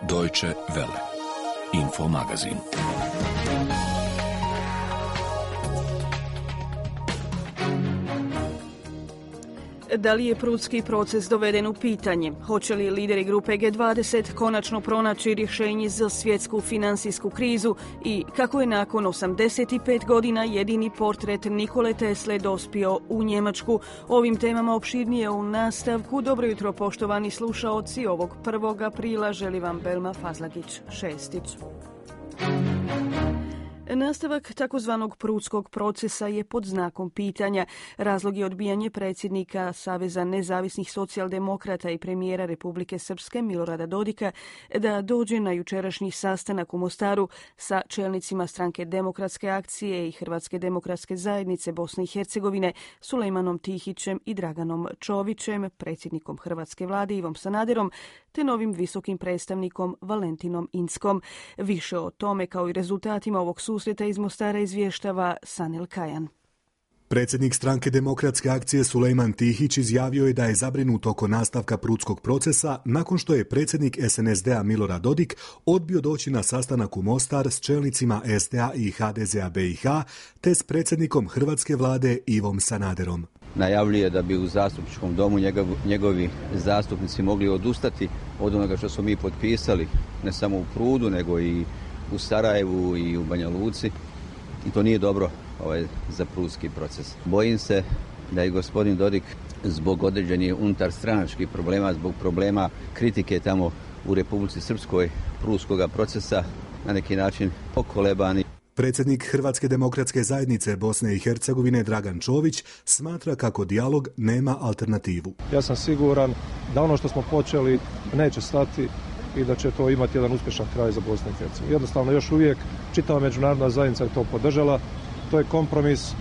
Deutsche Welle. Info magazin. Da li je Prudski proces doveden u pitanje? Hoće li lideri grupe G20 konačno pronaći rješenje za svjetsku financijsku krizu? I kako je nakon 85 godina jedini portret Nikole Tesle dospio u Njemačku? Ovim temama opširnije u nastavku. Dobro jutro, poštovani slušaoci. Ovog 1. aprila želi vam Belma Fazlagić-Šestić. Nastavak takozvanog Prudskog procesa je pod znakom pitanja. Razlog je odbijanje predsjednika Saveza nezavisnih socijaldemokrata i premijera Republike Srpske Milorada Dodika da dođe na jučerašnji sastanak u Mostaru sa čelnicima stranke Demokratske akcije i Hrvatske demokratske zajednice Bosne i Hercegovine, Sulejmanom Tihićem i Draganom Čovićem, predsjednikom Hrvatske vlade Ivom Sanaderom, te novim visokim predstavnikom Valentinom Inckom. Više o tome kao i rezultatima ovog susreta iz Mostara izvještava Sanel Kajan. Predsjednik stranke Demokratske akcije Sulejman Tihić izjavio je da je zabrinut oko nastavka Prudskog procesa nakon što je predsjednik SNSD-a Milorad Dodik odbio doći na sastanak u Mostar s čelnicima SDA i HDZ-a BiH te s predsjednikom Hrvatske vlade Ivom Sanaderom. Najavljuje da bi u zastupničkom domu njegovi zastupnici mogli odustati od onoga što smo mi potpisali, ne samo u Prudu, nego i u Sarajevu i u Banja Luci. I to nije dobro za Prudski proces. Bojim se da je gospodin Dodik zbog određenih unutarstranačkih problema, zbog problema kritike tamo u Republici Srpskoj Prudskoga procesa na neki način pokolebani. Predsjednik Hrvatske demokratske zajednice Bosne i Hercegovine Dragan Čović smatra kako dijalog nema alternativu. Ja sam siguran da ono što smo počeli neće stati i da će to imati jedan uspješan kraj za Bosnu i Hercegovinu. Jednostavno još uvijek čitava međunarodna zajednica je to podržala. To je kompromis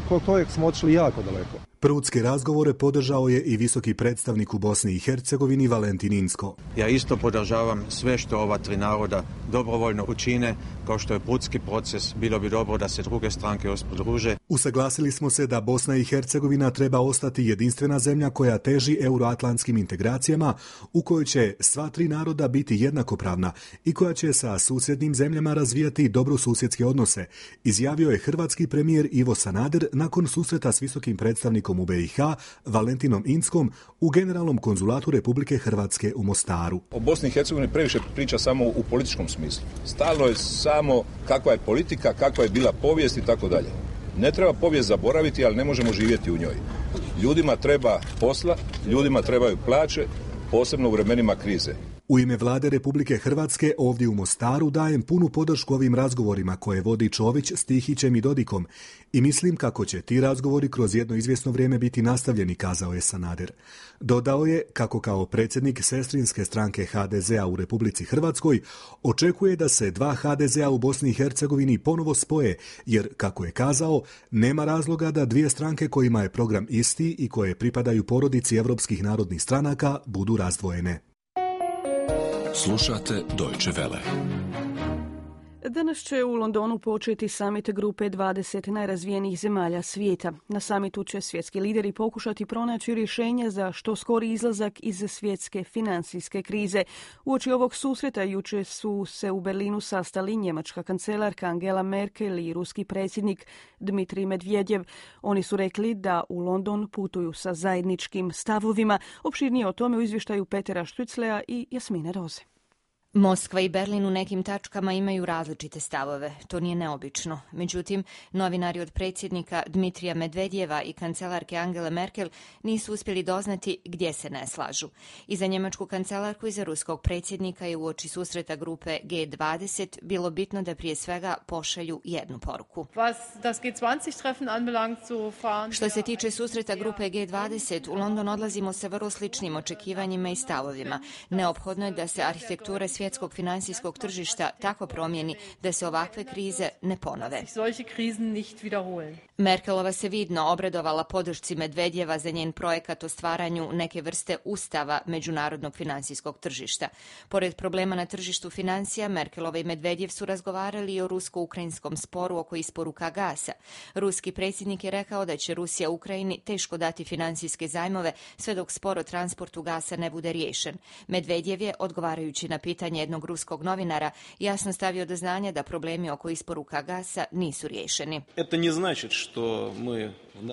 kod kojeg smo otišli jako daleko. Prudske razgovore podržao je i visoki predstavnik u Bosni i Hercegovini Valentin Incko. Ja isto podržavam sve što ova tri naroda dobrovoljno učine, kao što je Prudski proces. Bilo bi dobro da se druge stranke još pridruže. Usaglasili smo se da Bosna i Hercegovina treba ostati jedinstvena zemlja koja teži euroatlantskim integracijama, u kojoj će sva tri naroda biti jednakopravna i koja će sa susjednim zemljama razvijati dobrosusjedske odnose, izjavio je hrvatski premijer Ivo Sanader nakon susreta s visokim predstavnikom u BiH Valentinom Inckom u Generalnom konzulatu Republike Hrvatske u Mostaru. O Bosni i Hercegovini previše priča samo u političkom smislu. Stalno je samo kakva je politika, kakva je bila povijest i tako dalje. Ne treba povijest zaboraviti, ali ne možemo živjeti u njoj. Ljudima treba posla, ljudima trebaju plaće, posebno u vremenima krize. U ime vlade Republike Hrvatske ovdje u Mostaru dajem punu podršku ovim razgovorima koje vodi Čović s Tihićem i Dodikom i mislim kako će ti razgovori kroz jedno izvjesno vrijeme biti nastavljeni, kazao je Sanader. Dodao je kako kao predsjednik sestrinske stranke HDZ-a u Republici Hrvatskoj očekuje da se dva HDZ-a u Bosni i Hercegovini ponovo spoje, jer, kako je kazao, nema razloga da dvije stranke kojima je program isti i koje pripadaju porodici evropskih narodnih stranaka budu razdvojene. Slušate Deutsche Welle. Danas će u Londonu početi samit grupe 20 najrazvijenijih zemalja svijeta. Na samitu će svjetski lideri pokušati pronaći rješenja za što skori izlazak iz svjetske financijske krize. Uoči ovog susreta jučer su se u Berlinu sastali njemačka kancelarka Angela Merkel i ruski predsjednik Dmitrij Medvedjev. Oni su rekli da u London putuju sa zajedničkim stavovima. Opširnije o tome u izvještaju Petera Štriclea i Jasmine Roze. Moskva i Berlin u nekim tačkama imaju različite stavove. To nije neobično. Međutim, novinari od predsjednika Dmitrija Medvedjeva i kancelarke Angele Merkel nisu uspjeli doznati gdje se ne slažu. I za njemačku kancelarku i za ruskog predsjednika je uoči susreta grupe G20 bilo bitno da prije svega pošalju jednu poruku. Što se tiče susreta grupe G20, u London odlazimo sa vrlo sličnim očekivanjima i stavovima. Neophodno je da se arhitektura svjetske svjetskog finansijskog tržišta tako promijeni da se ovakve krize ne ponove. Merkelova se vidno obradovala podršci Medvedjeva za njen projekat o stvaranju neke vrste ustava međunarodnog finansijskog tržišta. Pored problema na tržištu financija, Merkelova i Medvedjev su razgovarali i o rusko-ukrajinskom sporu oko isporuka gasa. Ruski predsjednik je rekao da će Rusija Ukrajini teško dati financijske zajmove sve dok spor o transportu gasa ne bude riješen. Medvedjev je, odgovarajući na pitanje jednog ruskog novinara, jasno stavio do znanja da problemi oko isporuka gasa nisu riješeni.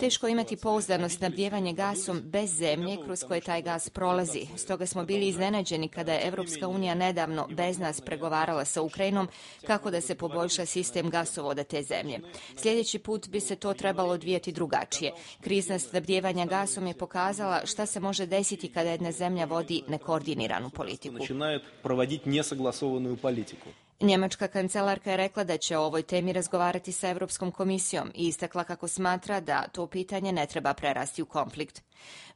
Teško imati pouzdano snabdijevanje gasom bez zemlje kroz koje taj gas prolazi. Stoga smo bili iznenađeni kada je Europska unija nedavno bez nas pregovarala sa Ukrajinom kako da se poboljša sistem gasovoda te zemlje. Sljedeći put bi se to trebalo odvijati drugačije. Krizna snabdijevanja gasom je pokazala šta se može desiti kada jedna zemlja vodi nekoordiniranu politiku. Njemačka kancelarka je rekla da će o ovoj temi razgovarati sa Europskom komisijom i istakla kako smatra da to pitanje ne treba prerasti u konflikt.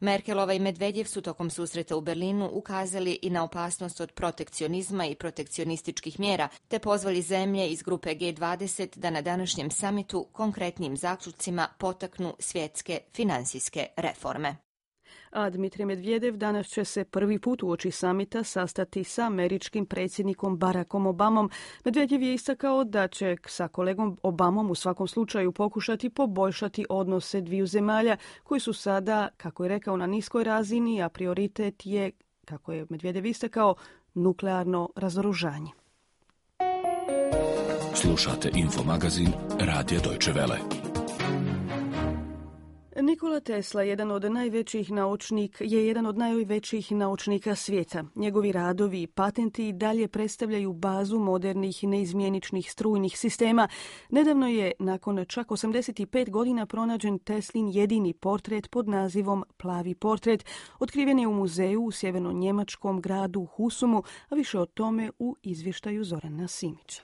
Merkelova i Medvedjev su tokom susreta u Berlinu ukazali i na opasnost od protekcionizma i protekcionističkih mjera, te pozvali zemlje iz grupe G20 da na današnjem samitu konkretnim zaključcima potaknu svjetske finansijske reforme. A Dmitrij Medvedev danas će se prvi put uoči samita sastati sa američkim predsjednikom Barackom Obamom. Medvedev je istakao da će sa kolegom Obamom u svakom slučaju pokušati poboljšati odnose dviju zemalja koji su sada, kako je rekao, na niskoj razini, a prioritet je, kako je Medvedev istakao, nuklearno razoružanje. Slušate Infomagazin Radija Deutsche Welle. Nikola Tesla je jedan od najvećih naučnika svijeta. Njegovi radovi i patenti dalje predstavljaju bazu modernih neizmjeničnih strujnih sistema. Nedavno je, nakon čak 85 godina, pronađen Teslin jedini portret pod nazivom Plavi portret. Otkriven je u muzeju u sjeverno-njemačkom gradu Husumu, a više o tome u izvještaju Zorana Simića.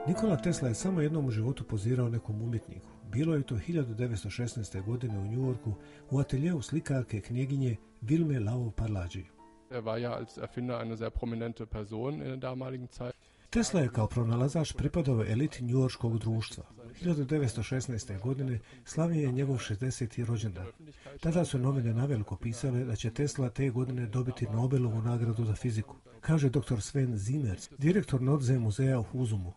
Nikola Tesla je samo jednom u životu pozirao nekom umjetniku. Bilo je to 1916. godine u Njujorku u ateljeu slikarke knjeginje Vilme Lavov-Parlagi. Tesla je kao pronalazač pripadao eliti njujorškog društva. 1916. godine slavio je njegov 60. rođendan. Tada su novine naveliko pisale da će Tesla te godine dobiti Nobelovu nagradu za fiziku, kaže dr. Sven Zimmers, direktor Nordsee muzeja u Husumu.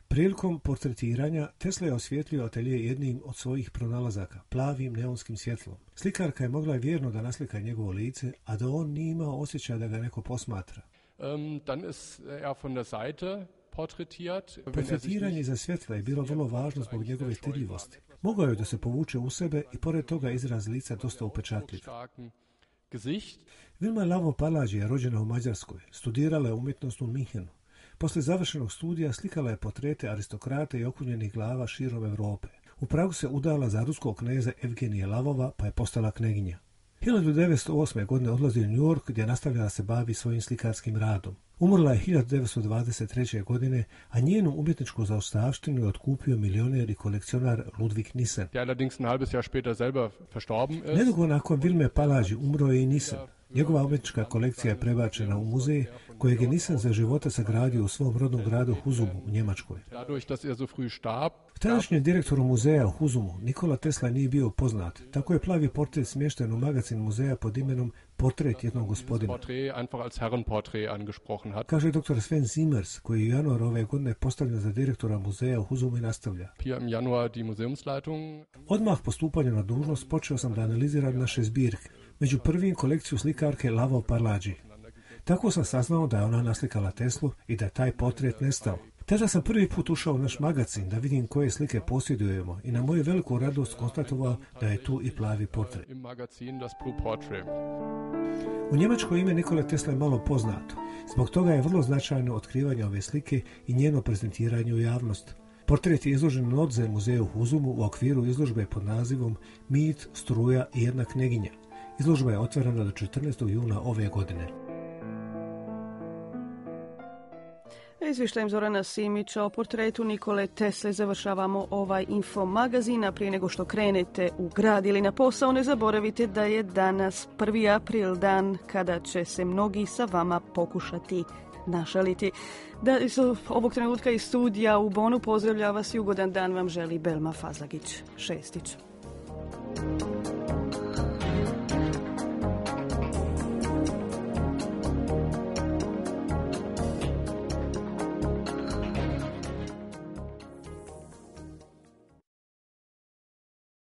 Prilikom portretiranja Tesla je osvijetlio atelje jednim od svojih pronalazaka, plavim neonskim svjetlom. Slikarka je mogla vjerno da naslika njegovo lice, a da on nije imao osjećaj da ga neko posmatra. Portretiranje iza svjetla je bilo vrlo važno zbog njegove stidljivosti. Mogao je da se povuče u sebe i pored toga izraz lica dosta upečatljiv. Vilma Lavov-Parlagi je rođena u Mađarskoj, studirala je umjetnost u Minhenu. Poslije završenog studija slikala je portrete aristokrata i okunjenih glava širom Europe. U Pragu se udala za ruskog kneza Evgenija Lavova, pa je postala kneginja. 1908. godine odlazi u New York gdje je nastavljala da se bavi svojim slikarskim radom. Umrla je 1923. godine, a njenu umjetničku zaostavštinu je otkupio milioner i kolekcionar Ludwig Nissen. Nedugo nakon Vilme Parlagi umro je i Nissen. Njegova umjetnička kolekcija je prebačena u muzej kojeg je Nissen za života sagradio u svom rodnom gradu Husumu u Njemačkoj. Tadašnjem direktoru muzeja u Husumu Nikola Tesla nije bio poznat, tako je plavi portret smješten u magazin muzeja pod imenom Portret jednog gospodina. Kaže dr. Sven Zimmers, koji je u januaru ove godine postavljen za direktora muzeja u Husumu i nastavlja. Odmah po stupanju na dužnost počeo sam da analiziram naše zbirke, među prvim kolekciju slikarke Lavov-Parlagi. Tako sam saznao da je ona naslikala Teslu i da je taj portret nestao. Tada sam prvi put ušao u naš magazin da vidim koje slike posjedujemo i na moju veliku radost konstatovao da je tu i plavi portret. U Njemačkoj ime Nikole Tesla je malo poznato. Zbog toga je vrlo značajno otkrivanje ove slike i njeno prezentiranje u javnost. Portret je izložen u Nordsee muzeju u Husumu u okviru izložbe pod nazivom Mit, struja i jedna kneginja. Izložba je otvorena do 14. juna ove godine. Izvještajem Zorana Simića o portretu Nikole Tesle završavamo ovaj info magazin, a prije nego što krenete u grad ili na posao, ne zaboravite da je danas 1. april, dan kada će se mnogi sa vama pokušati našaliti. Da, ovog trenutka iz studija u Bonu pozdravlja vas i ugodan dan vam želi Belma Fazlagić-Šestić.